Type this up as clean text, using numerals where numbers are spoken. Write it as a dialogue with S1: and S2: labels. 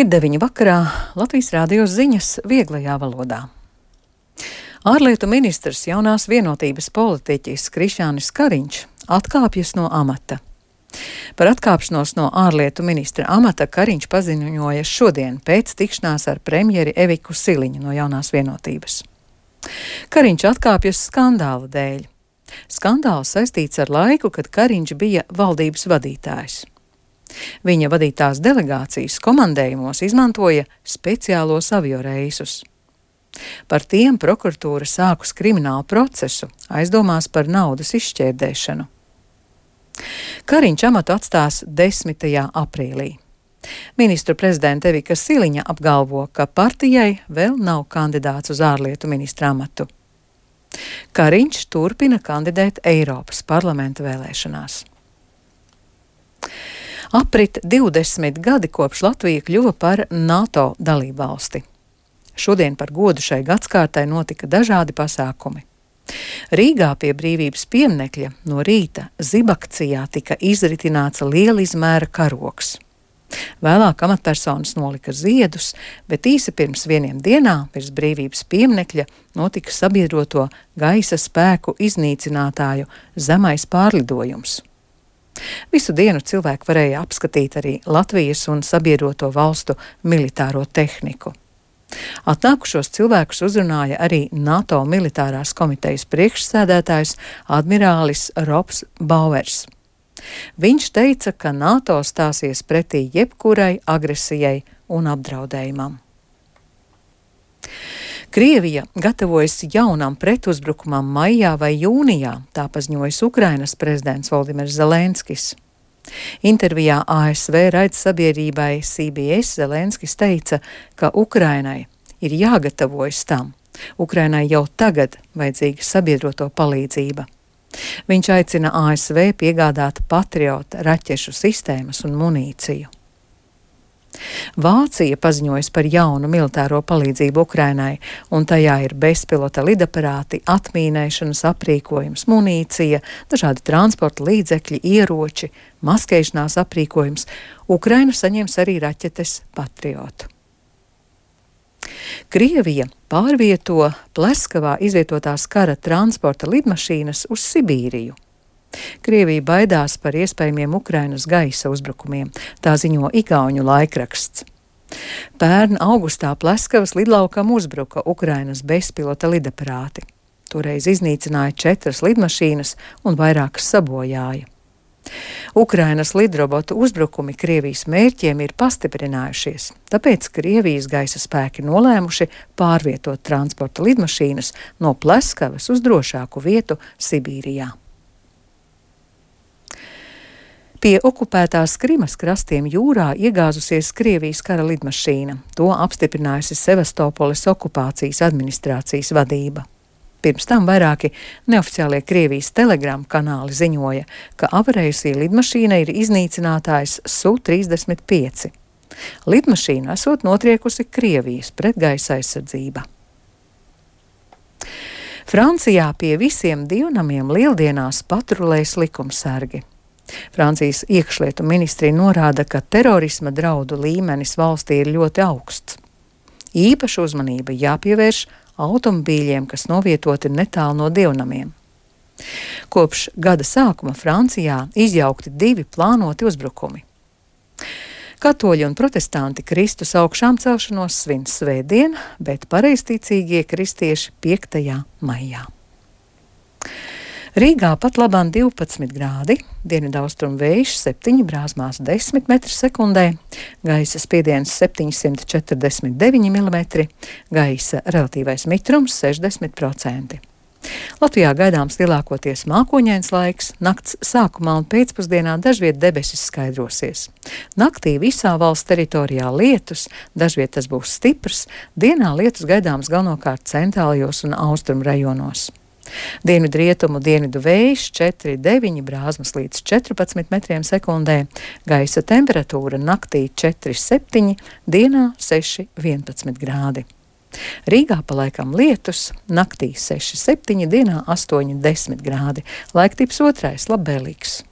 S1: Ir 9 vakarā, Latvijas Rādio ziņas vieglajā valodā. Ārlietu ministrs jaunās vienotības politiķis Krišjānis Kariņš atkāpjas no amata. Par atkāpšanos no ārlietu ministra amata Kariņš paziņoja šodien pēc tikšanās ar premjeri Eviku Siliņu no jaunās vienotības. Kariņš atkāpjas skandāla dēļ. Skandāls saistīts ar laiku, kad Kariņš bija valdības vadītājs. Viņa vadītās delegācijas komandējumos izmantoja speciālos avioreisus. Par tiem prokuratūra sākus kriminālu procesu, aizdomās par naudas izšķērdēšanu. Kariņš amatu atstās 10. aprīlī. Ministru prezidenta Evika Siliņa apgalvo, ka partijai vēl nav kandidāts uz ārlietu ministra amatu. Kariņš turpina kandidēt Eiropas parlamenta vēlēšanās. Aprit 20 gadi kopš Latvija kļuva par NATO dalībvalsti. Šodien par godu šai gadskārtai notika dažādi pasākumi. Rīgā pie Brīvības pieminekļa no rīta zibakcijā tika izritināts liela izmēra karogs. Vēlāk amatpersonas nolika ziedus, bet īsi pirms 1 dienā virs Brīvības pieminekļa notika sabiedroto gaisa spēku iznīcinātāju zemais pārlidojums. Visu dienu cilvēki varēja apskatīt arī Latvijas un sabiedroto valstu militāro tehniku. Atnākušos cilvēkus uzrunāja arī NATO militārās komitejas priekšsēdētājs admirālis Robs Bauers. Viņš teica, ka NATO stāsies pretī jebkurai agresijai un apdraudējumam. Krievija gatavojas jaunam pretuzbrukumam maijā vai jūnijā, tā paziņojas Ukrainas prezidents Voldimirs Zelenskis. Intervijā ASV raidsabiedrībai CBS Zelenskis teica, ka Ukrainai ir jāgatavojas tam. Ukrainai jau tagad vajadzīga sabiedroto palīdzība. Viņš aicina ASV piegādāt Patriot raķešu sistēmas un munīciju. Vācija paziņojas par jaunu militāro palīdzību Ukrainai, un tajā ir bezpilota lidaparāti, atmīnēšanas aprīkojums, munīcija, dažādi transporta līdzekļi, ieroči, maskēšanās aprīkojums. Ukraina saņems arī raķetes Patriot. Krievija pārvieto Pleskavā izvietotās kara transporta lidmašīnas uz Sibīriju. Krievija baidās par iespējamiem Ukrainas gaisa uzbrukumiem, tā ziņo igauņu laikraksts. Pērn augustā Pleskavas lidlaukam uzbruka Ukrainas bezpilota lidaparāti. Toreiz iznīcināja 4 lidmašīnas un vairākas sabojāja. Ukrainas lidrobotu uzbrukumi Krievijas mērķiem ir pastiprinājušies, tāpēc Krievijas gaisa spēki nolēmuši pārvietot transporta lidmašīnas no Pleskavas uz drošāku vietu Sibīrijā. Pie okupētās Krimas krastiem jūrā iegāzusies Krievijas kara lidmašīna. To apstiprinājusi Sevastopoles okupācijas administrācijas vadība. Pirms tam vairāki neoficiālie Krievijas telegramu kanāli ziņoja, ka avarējusī lidmašīna ir iznīcinātājs Su-35. Lidmašīna esot notriekusi Krievijas pretgaisa aizsardzība. Francijā pie visiem dievnamiem lieldienās patrulēs likumsargi. Francijas iekšlietu ministrija norāda, ka terorisma draudu līmenis valstī ir ļoti augsts. Īpaša uzmanība jāpievērš automobīļiem, kas novietoti netālu no dievnamiem. Kopš gada sākuma Francijā izjaukti 2 plānoti uzbrukumi. Katoļi un protestanti Kristus augšām celšanos svin svētdien, bet pareizticīgie kristieši 5. maijā. Rīgā pat labāk 12 grādi, dienvidaustrumu vējš 7, brāzmās 10 m/sekundē, gaisa spiediens 749 mm, gaisa relatīvais mitrums 60%. Latvijā gaidāms lielākoties mākoņains laiks, nakts sākumā un pēcpusdienā dažviet debesis skaidrosies. Naktī visā valsts teritorijā lietus, dažviet tas būs stiprs, dienā lietus gaidāms galvenokārt centrālajos un austrumu rajonos. Dienvidrietumu dienvidu vējš 4,9, brāzmas līdz 14 m/sekundē, gaisa temperatūra naktī 4,7, dienā 6,11 grādi. Rīgā palaikam lietus, naktī 6,7, dienā 8,10 grādi, laiktips otrais labvēlīgs.